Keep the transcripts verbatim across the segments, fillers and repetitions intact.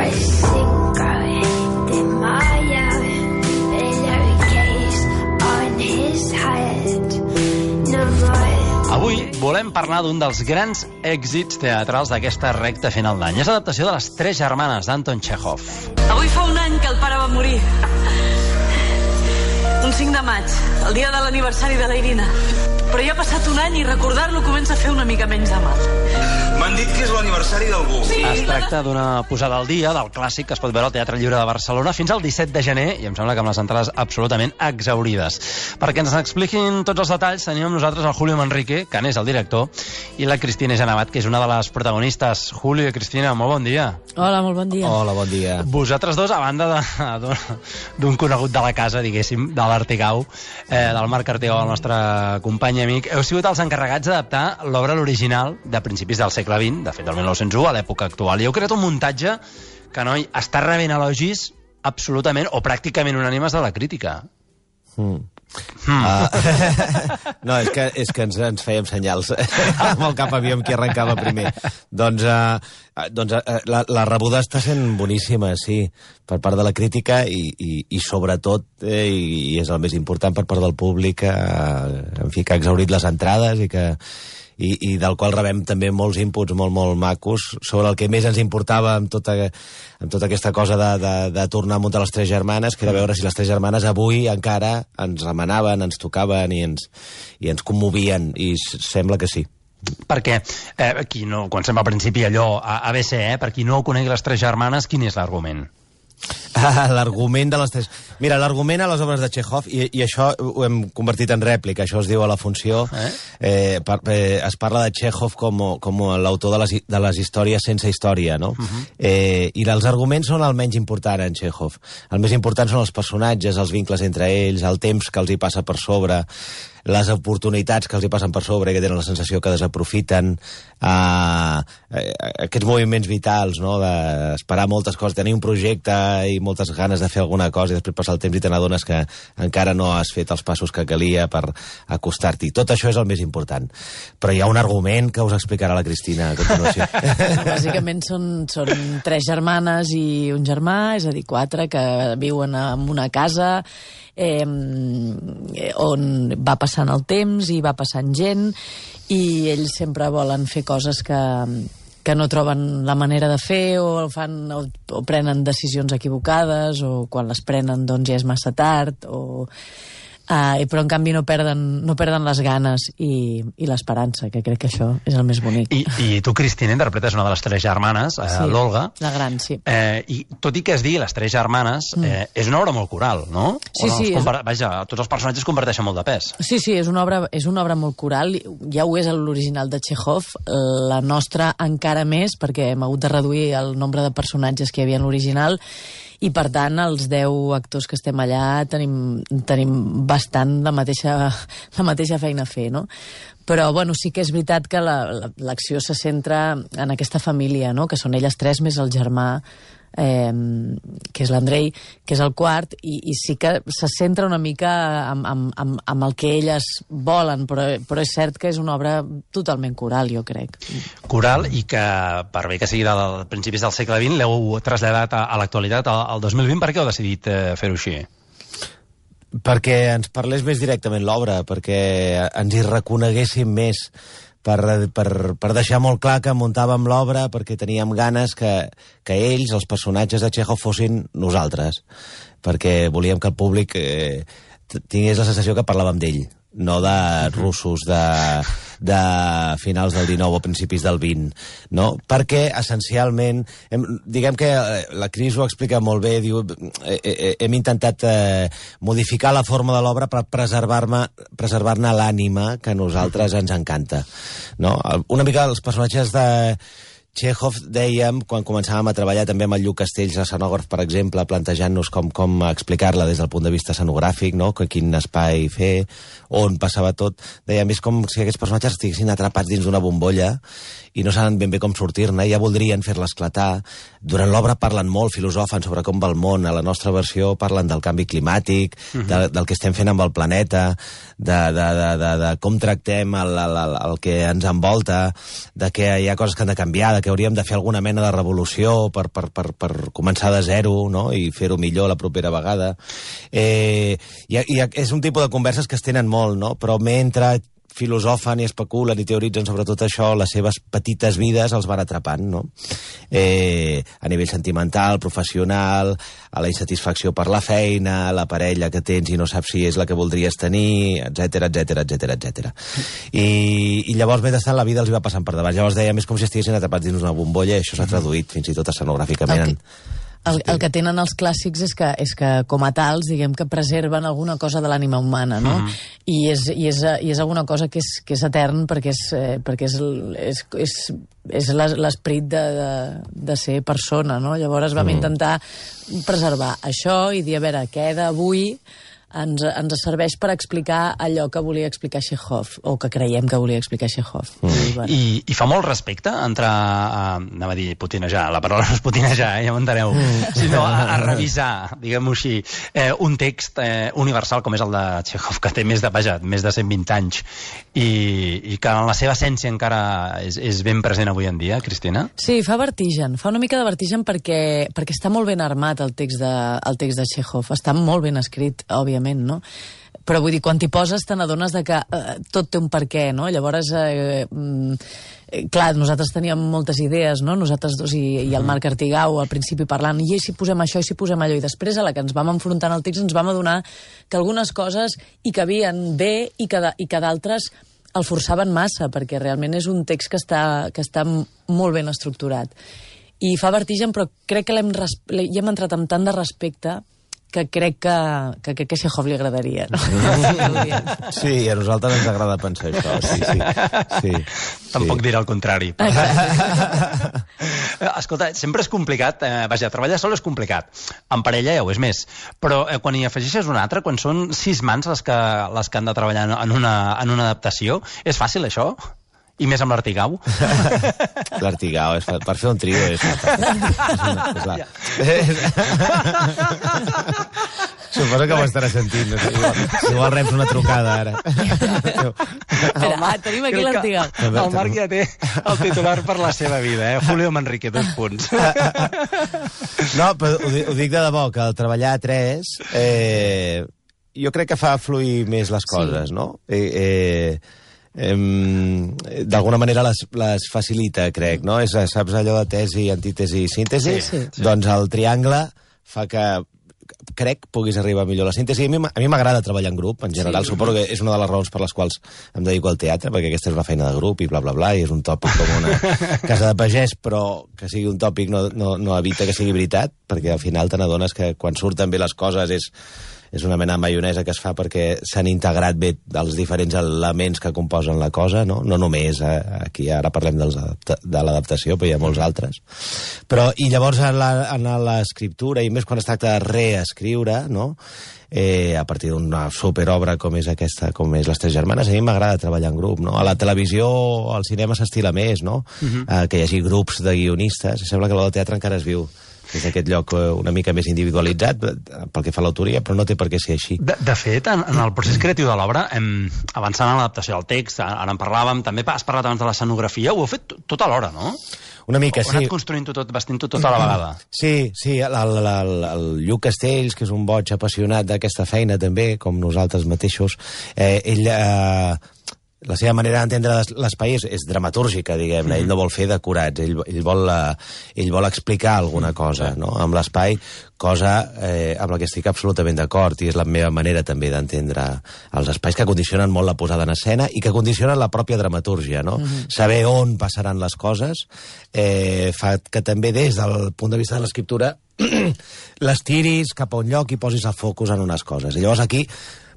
I think I did my pillowcase on his head. No more. Avui volem parlar d'un dels grans èxits teatrals d'aquesta recta final d'any. És l'adaptació de Les Tres Germanes d'Anton Txékhov. Avui fa un any que el pare va morir. Un cinc de maig, el dia de l'aniversari de la Irina. Però ja ha passat un any i recordar-lo comença a fer una mica menys de mal. M'han dit que és l'aniversari d'algú. Sí, es tracta d'una posada al dia del clàssic que es pot veure al Teatre Lliure de Barcelona fins al disset de gener, i em sembla que amb les entrades absolutament exhaurides. Perquè ens expliquin tots els detalls tenim amb nosaltres el Julio Manrique, que n'és el director, i la Cristina Genavat, que és una de les protagonistes. Julio i Cristina, molt bon dia. Hola, molt bon dia. Hola, bon dia. Vosaltres dos, a banda d'un conegut de la casa, diguéssim, de l'Artigau, eh, del Marc Artigau, el nostre company i amic, heu sigut els encarregats d'adaptar l'obra a l'original de principis del segle vint, de fet del mil nou-cents u, a l'època actual. I heu creat un muntatge que, noi, està rebent elogis absolutament o pràcticament unànimes de la crítica. Mm. Mm. Uh, no, és que, és que ens, ens fèiem senyals amb el cap aviam qui arrencava primer. Doncs, uh, doncs uh, la, la rebuda està sent boníssima, sí, per part de la crítica i, i, i sobretot, eh, i és el més important, per part del públic, uh, en fi, que ha exhaurit les entrades i que I, i del qual rebem també molts inputs molt, molt macos sobre el que més ens importava amb tota, amb tota aquesta cosa de, de, de tornar a muntar Les Tres Germanes, que era veure si Les Tres Germanes avui encara ens remanaven, ens tocaven i ens, i ens commovien, i sembla que sí. Perquè, eh, qui no, quan sembla al principi allò a A B C, eh, per qui no conegui Les Tres Germanes, quin és l'argument? Ah, l'argument de les tres... Mira, l'argument a les obres de Txékhov, i, i això ho hem convertit en rèplica, això es diu a la funció, eh? Eh, per, eh, es parla de Txékhov com, com l'autor de, les, de les històries sense història, no? Uh-huh. eh, I els arguments són el menys important en Txékhov. El més important són els personatges, els vincles entre ells, el temps que els hi passa per sobre, les oportunitats que els hi passen per sobre i que tenen la sensació que desaprofiten, uh, aquests moviments vitals, no?, d'esperar moltes coses, tenir un projecte i moltes ganes de fer alguna cosa i després passar el temps i te n'adones que encara no has fet els passos que calia per acostar-t'hi. Tot això és el més important. Però hi ha un argument que us explicarà la Cristina a continuació. Bàsicament són, són tres germanes i un germà, és a dir, quatre, que viuen en una casa eh, on va passant el temps i va passant gent, i ells sempre volen fer coses que... que no troben la manera de fer, o fan o, o prenen decisions equivocades, o quan les prenen doncs ja és massa tard, o... Uh, però en canvi no perden, no perden les ganes i, i l'esperança, que crec que això és el més bonic. I, i tu, Cristina, interpretes una de les tres germanes, eh, sí, l'Olga. La gran, sí. Eh, I tot i que es digui Les Tres Germanes, mm. eh, és una obra molt coral, no? Sí, no, sí. Compar... Vaja, tots els personatges comparteixen molt de pes. Sí, sí, és una obra, és una obra molt coral. Ja ho és l'original de Txékhov. La nostra encara més, perquè hem hagut de reduir el nombre de personatges que hi havia en l'original, i per tant els deu actors que estem allà tenim, tenim bastant la mateixa, la mateixa feina a fer, no? Però bueno, sí que és veritat que l'acció se centra en aquesta família, no?, que són elles tres més el germà, eh, que és l'Andrei, que és el quart, i, i sí que se centra una mica amb, amb, amb, amb el que elles volen, però, però és cert que és una obra totalment coral, jo crec. Coral, i que, per bé que sigui de principis del segle vint, l'heu traslladat a, a l'actualitat, al, al dos mil vint. Per què heu decidit eh, fer-ho així? Perquè ens parlés més directament l'obra, perquè ens hi reconeguéssim més, per, per, per deixar molt clar que muntàvem l'obra perquè teníem ganes que, que ells, els personatges de Txékhov, fossin nosaltres, perquè volíem que el públic eh, tingués la sensació que parlàvem d'ell, no de russos de, de finals del dinou o principis del vint, no? Perquè, essencialment, hem, diguem que la Cris ho explica molt bé, diu, eh, eh, hem intentat eh, modificar la forma de l'obra per preservar-ne preservar-ne l'ànima que a nosaltres ens encanta, no? Una mica els personatges de Txékhov, dèiem, quan començàvem a treballar també amb el Lluc Castells, escenògraf, per exemple, plantejant-nos com, com explicar-la des del punt de vista escenogràfic, no?, quin espai fer, on passava tot, dèiem, és com si aquests personatges estiguessin atrapats dins d'una bombolla i no saben ben bé com sortir-ne, ja voldrien fer-la esclatar. Durant l'obra parlen molt, filosofen sobre com va el món. A la nostra versió parlen del canvi climàtic, uh-huh. de, del que estem fent amb el planeta, de, de, de, de, de com tractem el, el, el, el que ens envolta, de que hi ha coses que han de canviar, de que hauríem de fer alguna mena de revolució per, per, per, per començar de zero, no?, i fer-ho millor la propera vegada. Eh, i, i és un tipus de converses que es tenen molt, no?, però mentre filosofen i especulen i teoritzen sobre tot això, les seves petites vides els van atrapant, no? Eh, a nivell sentimental, professional, a la insatisfacció per la feina, la parella que tens i no saps si és la que voldries tenir, etcètera, etcètera, etcètera, etcètera. I, I llavors, mentrestant, la vida els va passant per davant. Llavors dèiem, és com si estiguessin atrapats dins una bombolla, i això s'ha traduït fins i tot escenogràficament en... El, el que tenen els clàssics és que, és que com a tals, diguem que preserven alguna cosa de l'ànima humana, no? Mm. I, és, i, és, I és alguna cosa que és, que és etern perquè és, eh, perquè és, és, és, és l'esperit de, de, de ser persona, no? Llavors vam mm. intentar preservar això i dir, a veure, què d'avui ens, ens serveix per explicar allò que volia explicar Chekhov, o que creiem que volia explicar Chekhov. Mm. I, bueno. I, I fa molt respecte entre, uh, anava a dir putinejar, la paraula no és putinejar, eh, ja m'enteneu, mm. sinó a, a revisar, diguem-ho així, eh, un text eh, universal com és el de Chekhov, que té més de, vaja, més de cent vint anys, i, i que en la seva essència encara és, és ben present avui en dia, Cristina? Sí, fa vertigen, fa una mica de vertigen perquè, perquè està molt ben armat el text de, el text de Chekhov, està molt ben escrit, òbviament, no? Però vull dir, quan t'hi poses te n'adones de que eh, tot té un per què, no? Llavors, eh, eh, clar, nosaltres teníem moltes idees, no? Nosaltres dos i, i el Marc Artigau al principi parlant, i si posem això, i si posem allò, i després a la que ens vam enfrontar al text ens vam adonar que algunes coses hi cabien bé i que, i que d'altres el forçaven massa, perquè realment és un text que està, que està molt ben estructurat. I fa vertigen, però crec que l'hem hi hem entrat amb tant de respecte que crec que, que, que, que a Chekhov li agradaria, no? Sí, a nosaltres ens agrada pensar això, sí, sí. sí Tampoc sí. dirà el contrari. Escolta, sempre és complicat, eh, vaja, treballar sol és complicat, en parella ja ho és més, però eh, quan hi afegeixes un altre, quan són sis mans les que, les que han de treballar en una, en una adaptació, és fàcil això? I més amb l'Artigau? L'Artigau, és per fer un trio és... és la... Suposo que ho estarà sentint. No sé, igual, igual reps una trucada ara. Espera, ah, tenim aquí l'Artigau. El Marc ja té el titular per la seva vida, eh? Julio Manrique, dos punts. No, però ho, ho dic de debò, que al treballar a tres eh, jo crec que fa fluir més les coses, sí. no? Eh... eh d'alguna manera les, les facilita, crec, no? És, saps allò de tesi, antítesi i síntesi? Sí, sí. Doncs el triangle fa que, crec, puguis arribar millor a la síntesi. A mi, a mi m'agrada treballar en grup, en general. Sí. Suposo que és una de les raons per les quals em dedico al teatre, perquè aquesta és una feina de grup i bla, bla, bla, i és un tòpic com una casa de pagès, però que sigui un tòpic no, no, no evita que sigui veritat, perquè al final te n'adones que quan surten bé les coses és és una mena de maionesa que es fa perquè s'han integrat bé els diferents elements que composen la cosa, no? No només eh, aquí ara parlem dels de l'adaptació, però hi ha molts altres. Però, i llavors en l'escriptura, i més quan es tracta de reescriure, no? Eh, a partir d'una superobra com és aquesta, com és Les Tres Germanes, a mi m'agrada treballar en grup, no? A la televisió, al cinema s'estila més, no? Uh-huh. eh, que hi hagi grups de guionistes, i sembla que el teatre encara es viu des d'aquest lloc una mica més individualitzat pel que fa a l'autoria, però no té per què ser així. De, de fet, en, en el procés creatiu de l'obra, avançant en l'adaptació del text, ara en parlàvem, també has parlat abans de l'escenografia, ho heu fet tot alhora, no? Una mica, o, sí. Heu anat construint-ho tot, vestint-ho tot a la vegada. Sí, sí, el, el, el, el Lluc Castells, que és un boig apassionat d'aquesta feina també, com nosaltres mateixos, eh, ell... Eh, la seva manera d'entendre l'espai és, és dramatúrgica, diguem-ne. Mm. Ell no vol fer decorats, ell, ell, vol, ell vol explicar alguna cosa, no? Amb l'espai, cosa eh, amb la que estic absolutament d'acord, i és la meva manera també d'entendre els espais que condicionen molt la posada en escena i que condicionen la pròpia dramatúrgia, no? Mm. Saber on passaran les coses eh, fa que també des del punt de vista de l'escriptura les tiris cap a un lloc i posis el focus en unes coses. I llavors aquí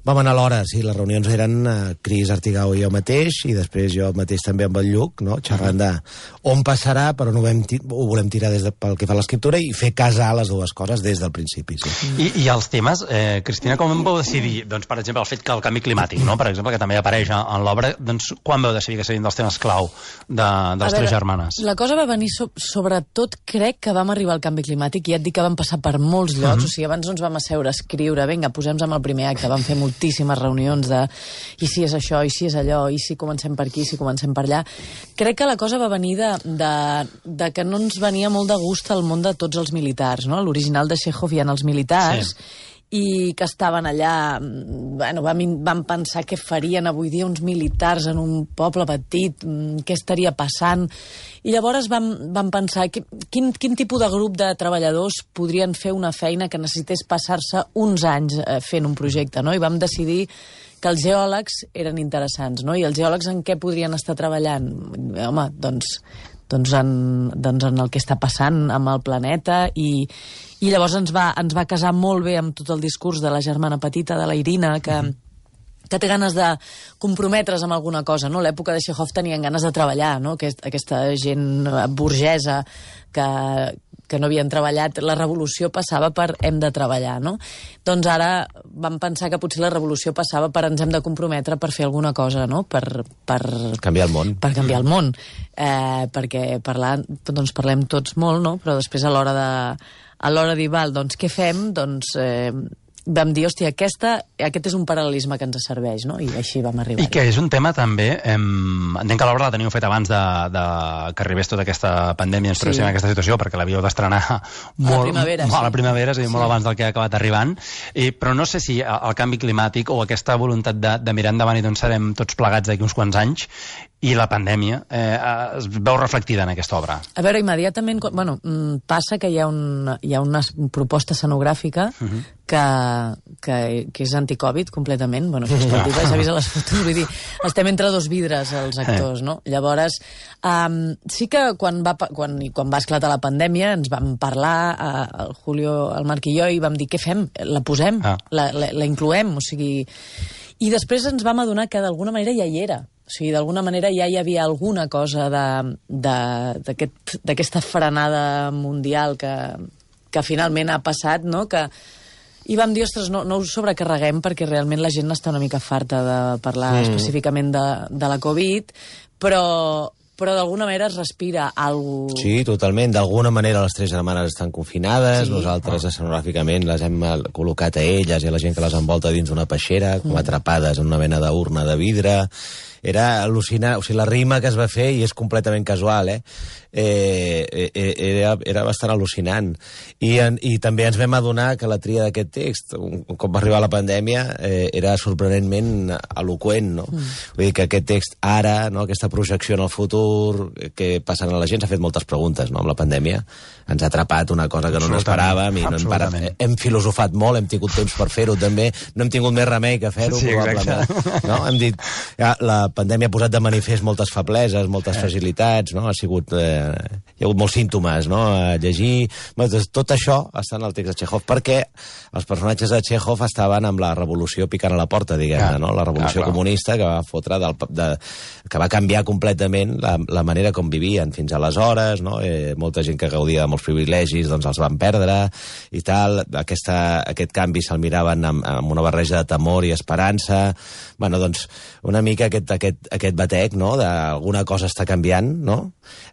vam anar a l'hora, sí, les reunions eren uh, Cris Artigau i jo mateix, i després jo mateix també amb el Lluc, no? Xerrant de on passarà, però no vam ho volem tirar des de, pel que fa a l'escriptura i fer casar les dues coses des del principi, sí. I, i els temes, eh, Cristina, com vau decidir, doncs, per exemple, el fet que el canvi climàtic, no? Per exemple, que també apareix en l'obra, doncs, quan vau decidir que serien dels temes clau de, de Les Tres Germanes? La cosa va venir so, sobretot, crec que vam arribar al canvi climàtic, i ja et dic que vam passar per molts llocs, uh -huh. o sigui, abans no ens vam asseure a escriure, vinga, posem-nos amb el primer acte, vam fer molts moltíssimes reunions de i si és això, i si és allò, i si comencem per aquí, i si comencem per allà. Crec que la cosa va venir de, de, de que no ens venia molt de gust el món de tots els militars, no? L'original de Chekhov hi ha els militars, sí. I que estaven allà, bueno, vam, vam pensar què farien avui dia uns militars en un poble petit, què estaria passant, i llavors vam, vam pensar que, quin, quin tipus de grup de treballadors podrien fer una feina que necessités passar-se uns anys eh, fent un projecte, no? I vam decidir que els geòlegs eren interessants, no? I els geòlegs en què podrien estar treballant? Home, doncs, doncs, en, doncs en el que està passant amb el planeta i I llavors ens va, ens va casar molt bé amb tot el discurs de la germana petita, de la Irina, que, que té ganes de comprometre's amb alguna cosa, no? L'època de Chekhov tenien ganes de treballar, no? Aquest, aquesta gent burgesa que, que no havien treballat. La revolució passava per hem de treballar, no? Doncs ara vam pensar que potser la revolució passava per ens hem de comprometre per fer alguna cosa, no? Per, per canviar el món. Per canviar el món. Eh, perquè parlar, doncs parlem tots molt, no? Però després a l'hora de a l'hora de dir, val, doncs què fem? Doncs eh, vam dir, hòstia, aquesta, aquest és un paral·lelisme que ens serveix, no? I així vam arribar. I que és un tema també, em, entenc que l'obra la teniu fet abans de, de que arribés tota aquesta pandèmia, ens trobéssim sí. en aquesta situació, perquè l'havíeu d'estrenar molt, a la primavera, molt sí. a la primavera, és a dir, molt sí. abans del que ha acabat arribant, I, però no sé si el canvi climàtic o aquesta voluntat de, de mirar endavant i d'on serem tots plegats d'aquí uns quants anys, i la pandèmia eh, es veu reflectida en aquesta obra. A veure, immediatament, bueno, passa que hi ha, un, hi ha una proposta escenogràfica uh-huh. que, que, que és anticovid completament, bueno, això es pot dir, s'ha vist a les fotos, vull dir, estem entre dos vidres els actors, no? Llavors, um, sí que quan va, quan, quan va esclatar la pandèmia ens vam parlar, uh, el Julio, el Marc i jo, i vam dir, què fem? La posem? Ah. La, la, la incloem? O sigui... I després ens vam adonar que d'alguna manera ja hi era. O sigui, d'alguna manera ja hi havia alguna cosa d'aquesta aquest, frenada mundial que, que finalment ha passat, no? Que, I vam dir, ostres, no, no ho sobrecarreguem perquè realment la gent està una mica farta de parlar mm. específicament de, de la Covid, però... però d'alguna manera es respira alguna cosa... Sí, totalment. D'alguna manera les tres germanes estan confinades, sí. Nosaltres escenogràficament les hem col·locat a elles i a la gent que les envolta dins una peixera, com mm. atrapades en una mena d'urna de vidre. Era al·lucinant, o sigui, la rima que es va fer, i és completament casual, eh? Eh, era, era bastant al·lucinant. I, en, I també ens vam adonar que la tria d'aquest text, un, un cop va arribar la pandèmia, eh, era sorprenentment eloqüent, no? Mm. Vull dir que aquest text ara, no? Aquesta projecció en el futur, que passen a la gent, s'ha fet moltes preguntes, no? Amb la pandèmia ens ha atrapat una cosa que no n'esperàvem i no hem, parat, hem filosofat molt, hem tingut temps per fer-ho també, no hem tingut més remei que fer-ho, sí, probablement. No? Hem dit, ja, la pandèmia ha posat de manifest moltes febleses, moltes eh. fragilitats, no? Ha sigut, eh, hi ha hagut molts símptomes, no? A llegir... Tot això està en el text de Chekhov, perquè els personatges de Chekhov estaven amb la revolució picant a la porta, diguem-ne, ah. no? La revolució ah, comunista que va fotre del, de, que va canviar completament la, la manera com vivien fins aleshores, no? Eh, molta gent que gaudia de molts privilegis doncs els van perdre i tal. Aquesta, aquest canvi se'l miraven amb, amb una barreja de temor i esperança. Bueno, doncs, una mica aquest, aquest, aquest batec, no?, d'alguna cosa està canviant, no?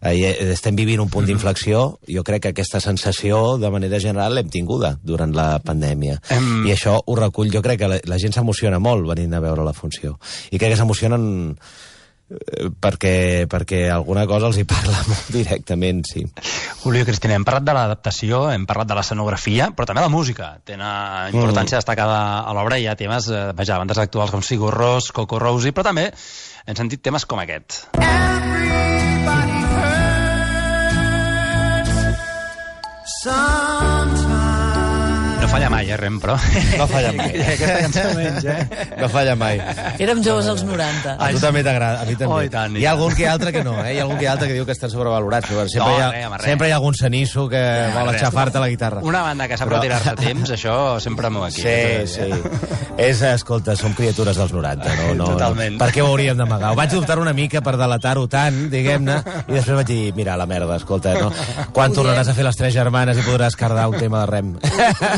Eh, estem vivint un punt d'inflexió. Jo crec que aquesta sensació, de manera general, l'hem tinguda durant la pandèmia. Em... I això ho recull. Jo crec que la, la gent s'emociona molt venint a veure la funció. I crec que s'emocionen perquè, perquè alguna cosa els hi parla molt directament, sí. Julio i Cristina, hem parlat de l'adaptació, hem parlat de l'escenografia, però també la música té una importància mm. destacada a l'obra. Hi ha temes, eh, vaja, bandes actuals com Sigur Rós, Coco Rosie, però també hem sentit temes com aquest. Everybody hurts sometimes. No falla mai, eh, Rem, però... No falla mai. Aquesta cançó menys, eh? No falla mai. Érem joves als noranta. A tu també t'agrada, a mi també. Oh, i tant, i hi ha algun que altre que no, eh? Hi ha algun que altre que diu que estan sobrevalorats. Però sempre, no, hi ha, res, sempre hi ha algun cenisso que no, vol aixafar-te la guitarra. Una banda que sap però... retirar-se a temps, això sempre m'ho aquí. Sí, sí. És, escolta, som criatures dels noranta, no? no Totalment. No. Per què ho hauríem d'amagar? Ho vaig dubtar una mica per delatar-ho tant, diguem-ne, i després vaig dir, mira, la merda, escolta, no? Quan tornaràs a fer les tres germanes i podràs cardar un tema de Rem?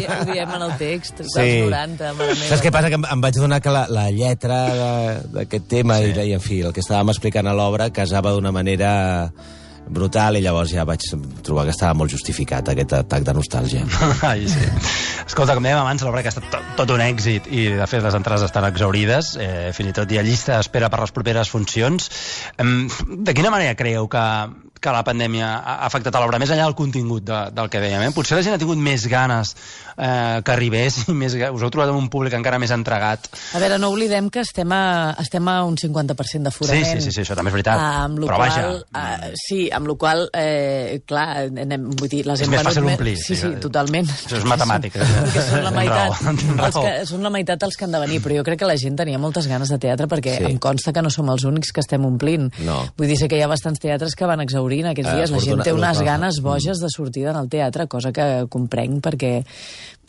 Ho diem en el text, dels sí. noranta, mare meva. Saps què passa? Que em, em vaig donar que la, la lletra d'aquest tema, sí. i, i en fi, el que estàvem explicant a l'obra, casava d'una manera brutal, i llavors ja vaig trobar que estava molt justificat aquest atac de nostàlgia. Ai, sí. Escolta, com dèiem abans, l'obra que ha estat tot, tot un èxit i, de fet, les entrades estan exaurides. Eh, fins i tot hi ha llista d'espera per les properes funcions. Eh, de quina manera creieu que, que la pandèmia ha afectat a l'obra, més enllà del contingut de, del que dèiem? Eh? Potser la gent ha tingut més ganes eh, que arribés i més, us heu trobat amb un públic encara més entregat. A veure, no oblidem que estem a, estem a un cinquanta per cent d'aforament. Sí, sí, sí, sí, això també és veritat. Ah, amb però qual, vaja... Uh, sí, amb la qual eh, clar, anem, vull dir, les és hem més fàcil omplir. Sí, sí, totalment. Això és matemàtic. Perquè són la meitat, raó, els que, són la meitat els que han de venir, però jo crec que la gent tenia moltes ganes de teatre, perquè sí. Em consta que no som els únics que estem omplint. No. Vull dir, sé que hi ha bastants teatres que van exaurint aquests dies. La gent té unes ganes boges de sortir del teatre, cosa que comprenc perquè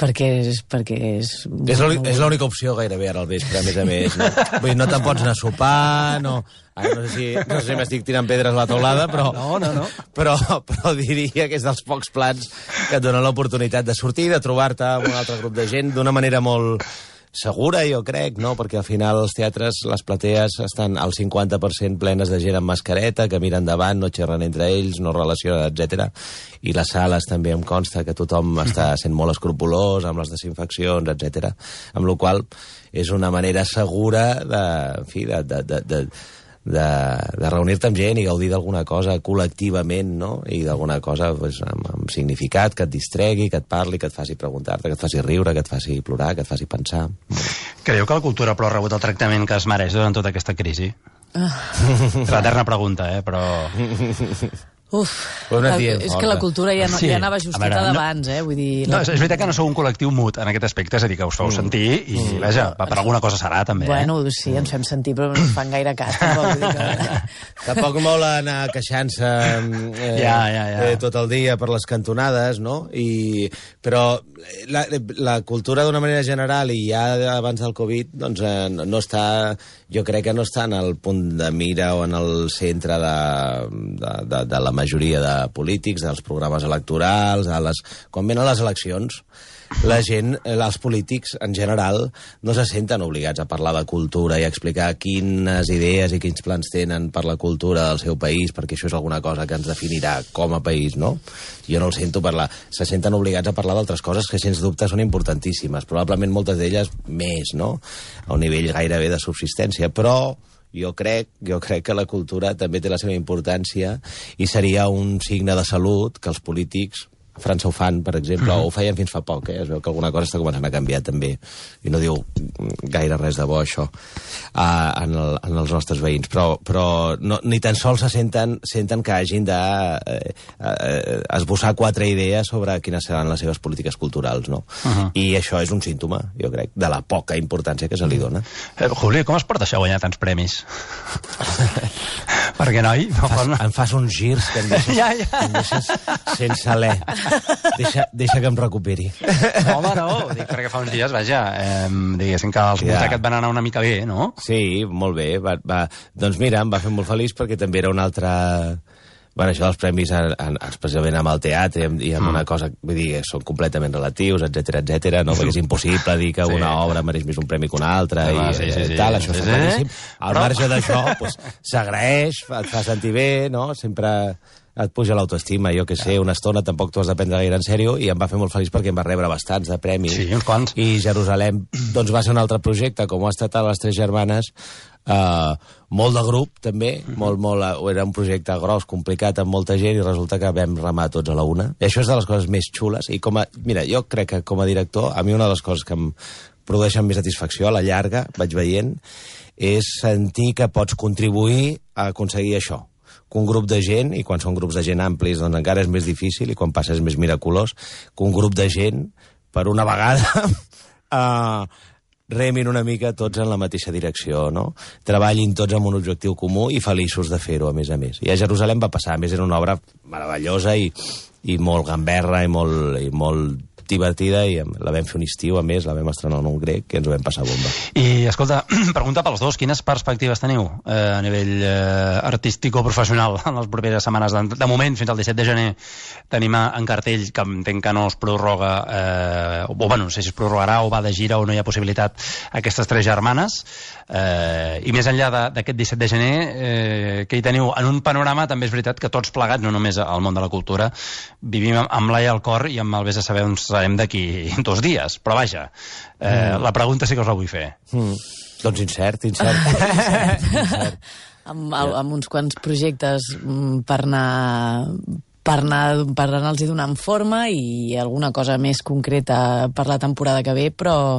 perquè és... Perquè és és l'única opció gairebé ara al vespre, a més a més. No? Vull dir, no te'n pots anar a sopar, no... Ara no sé si, no sé si m'estic tirant pedres a la teulada, però, no, no, no. però, però diria que és dels pocs plans que et donen l'oportunitat de sortir, de trobar-te amb un altre grup de gent d'una manera molt segura, jo crec, no? Perquè al final els teatres, les platees, estan al cinquanta per cent plenes de gent amb mascareta, que miren endavant, no xerren entre ells, no relacionen, etcètera. I les sales també em consta que tothom està sent molt escrupolós amb les desinfeccions, etcètera. Amb la qual és una manera segura de, en fi, de... de, de, de de, de reunir-te amb gent i gaudir d'alguna cosa col·lectivament, no? I d'alguna cosa pues, amb, amb significat, que et distregui, que et parli, que et faci preguntar-te, que et faci riure, que et faci plorar, que et faci pensar. Creieu que la cultura però ha rebut el tractament que es mereix durant tota aquesta crisi? Ah. És l'eterna pregunta, eh? Però... Uf, la, és que la cultura ja, no, sí. ja anava justeta no, d'abans, eh? Vull dir, la... no, és veritat que no sou un col·lectiu mut en aquest aspecte, és a dir, que us feu sentir i, mm. vaja, per alguna cosa serà, també. Bueno, eh? sí, ens fem sentir, però no ens fan gaire cas. Tampoc, vull dir que... tampoc vol anar queixant-se eh, ja, ja, ja. Eh, tot el dia per les cantonades, no? I, però la, la cultura d'una manera general, i ja abans del Covid, doncs eh, no està... Jo crec que no està en el punt de mira o en el centre de, de, de, de la majoria de polítics, dels programes electorals, a les, quan venen les eleccions, la gent, els polítics en general, no se senten obligats a parlar de cultura i a explicar quines idees i quins plans tenen per la cultura del seu país, perquè això és alguna cosa que ens definirà com a país, no? Jo no el sento parlar. Se senten obligats a parlar d'altres coses que, sens dubte, són importantíssimes, probablement moltes d'elles més, no? A un nivell gairebé de subsistència, però... Jo crec, jo crec que la cultura també té la seva importància i seria un signe de salut que els polítics, a França ho fan, per exemple, mm-hmm. o ho feien fins fa poc, eh? Es veu que alguna cosa està començant a canviar també, i no diu gaire res de bo això uh, en, el, en els nostres veïns, però, però no, ni tan sols se senten, senten que hagin de eh, eh, esbossar quatre idees sobre quines seran les seves polítiques culturals, no? Uh-huh. I això és un símptoma, jo crec, de la poca importància que se li dona. Eh, Juli, com es porta això a guanyar tants premis? Perquè, noi... Em fas, no... em fas uns girs que em deixes, ja, ja. Em deixes sense alè. Deixa, deixa que em recuperi. No, home, no. Dic, perquè fa uns dies, vaja, eh, diguéssim que els ja. et van anar una mica bé, no? Sí, molt bé. Va, va. Doncs mira, em va fer molt feliç perquè també era una altra... Bueno, això dels premis, en, en, especialment amb el teatre i amb mm. una cosa, vull dir, són completament relatius, etcètera, etcètera, no? Perquè és impossible dir que sí. una obra mereix més un premi que una altra i, ah, sí, sí, sí. tal, això sí, està claríssim. Sí. Al Però... marge d'això, pues, s'agraeix, et fa sentir bé, no? Sempre et puja l'autoestima, jo que sé, una estona tampoc t'ho has de prendre gaire en sèrio, i em va fer molt feliç perquè em va rebre bastants de premis. Sí, uns quants. I Jerusalem, doncs va ser un altre projecte, com ho ha estat a les Tres Germanes, Uh, molt de grup també, mm-hmm. molt, molt, era un projecte gros, complicat, amb molta gent, i resulta que vam remar tots a la una, i això és de les coses més xules. I com a, mira, jo crec que com a director, a mi una de les coses que em produeixen més satisfacció a la llarga, vaig veient, és sentir que pots contribuir a aconseguir això, que un grup de gent, i quan són grups de gent amplis doncs encara és més difícil, i quan passa és més miraculós, que un grup de gent, per una vegada uh, remin una mica tots en la mateixa direcció, no? Treballin tots amb un objectiu comú i feliços de fer-ho, a més a més. I a Jerusalem va passar, a més era una obra meravellosa i, i molt gamberra i molt, i molt divertida i la vam fer un estiu, a més, la vam estrenar en un grec, que ens ho vam passar bomba. I, escolta, pregunta pels dos, quines perspectives teniu eh, a nivell eh, artístic o professional en les properes setmanes? De, de moment, fins al disset de gener, tenim en cartell, que entenc que no es prorroga, eh, o bueno, no sé si es prorrogarà o va de gira o no hi ha possibilitat, aquestes tres germanes, eh, i més enllà d'aquest disset de gener, eh, que hi teniu en un panorama, també és veritat que tots plegats, no només al món de la cultura, vivim amb l'ai al cor i amb el vés a saber on serem d'aquí dos dies, però vaja, eh, mm. la pregunta sí que us la vull fer. Mm. Doncs incert, incert. incert. Amb, amb uns quants projectes per anar per anar, per anar-los donant forma i alguna cosa més concreta per la temporada que ve, però,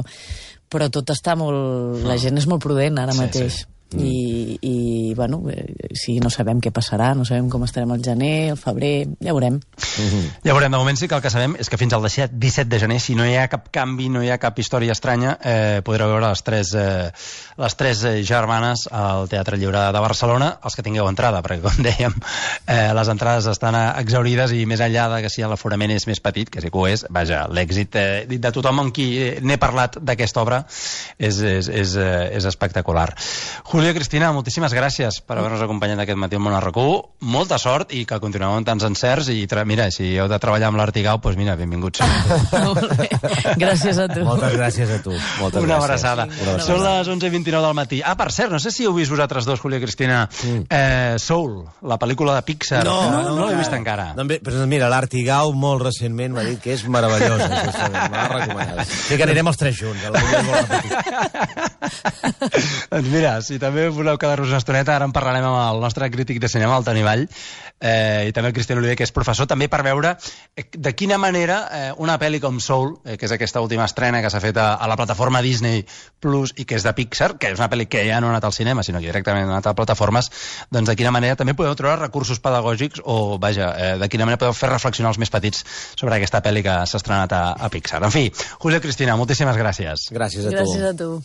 però tot està molt... La gent és molt prudent ara mateix. Sí, sí. I, i bueno, si no sabem què passarà, no sabem com estarem al gener, al febrer, ja veurem. Mm-hmm. Ja veurem, de moment sí que el que sabem és que fins al disset de gener, si no hi ha cap canvi, no hi ha cap història estranya, eh, podreu veure les tres, eh, les tres germanes al Teatre Lliure de Barcelona, els que tingueu entrada, perquè com dèiem, eh, les entrades estan exhaurides i més enllà de que si l'aforament és més petit, que sí que ho és, vaja, l'èxit eh, de tothom amb qui n'he parlat d'aquesta obra és, és, és, és espectacular. Júlia Cristina, moltíssimes gràcies per haver-nos acompanyat aquest matí al Món R Q. Molta sort i que continueu amb tants encerts i mira, si heu de treballar amb l'Artigau, doncs mira, benvinguts. Molt bé. Gràcies a tu. Moltes gràcies a tu. Moltes Una gràcies. abraçada. Una abraçada. Són les onze i vint-i-nou del matí. Ah, per cert, no sé si heu vist vosaltres dos, Júlia Cristina, mm. eh, Soul, la pel·lícula de Pixar. No, no, no, no l'he no vist encara. No, però mira, l'Artigau molt recentment m'ha dit que és meravellosa. M'ha recomanat. Sí que anirem els tres junts. Doncs mira, si també voleu quedar-vos una estoneta, ara en parlarem amb el nostre crític de cinema, el Toni Vall, eh, i també el Cristian Oliver, que és professor, també per veure de quina manera eh, una pel·li com Soul, eh, que és aquesta última estrena que s'ha fet a, a la plataforma Disney Plus i que és de Pixar, que és una pel·li que ja no ha anat al cinema, sinó que directament ha anat a plataformes, doncs de quina manera també podeu trobar recursos pedagògics o, vaja, eh, de quina manera podeu fer reflexionar els més petits sobre aquesta pel·li que s'ha estrenat a, a Pixar. En fi, Júlia Cristina, moltíssimes gràcies. Gràcies a tu. Gràcies a tu.